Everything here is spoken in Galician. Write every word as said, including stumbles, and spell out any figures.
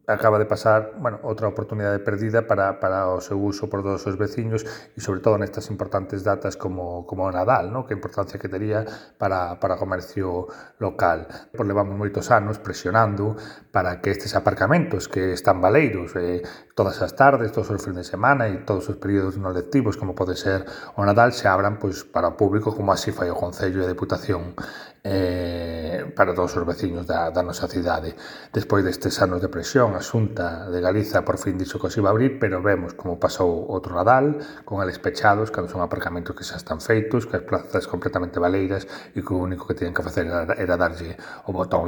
acaba de pasar, bueno, outra oportunidade perdida para, para o seu uso por todos os veciños e sobre todo nestas importantes datas como, como o Nadal, ¿no? Que importancia que tería para, para o comercio local. Pois levamos moitos anos presionando para que estes aparcamentos que están baleiros eh, todas as tardes, todos os fins de semana e todos os períodos non lectivos como pode ser o Nadal se abran pois, para o público como así fai o Concello e a Deputación eh, para todos os veciños da, da nosa cidade. Despois destes anos de presión, a Xunta de Galiza por fin dixo que os iba a abrir, pero vemos como pasou outro Nadal, con eles pechados, cando son aparcamentos que xa están feitos, que as plazas completamente baleiras e que o único que tenían que facer era, era darlle o botón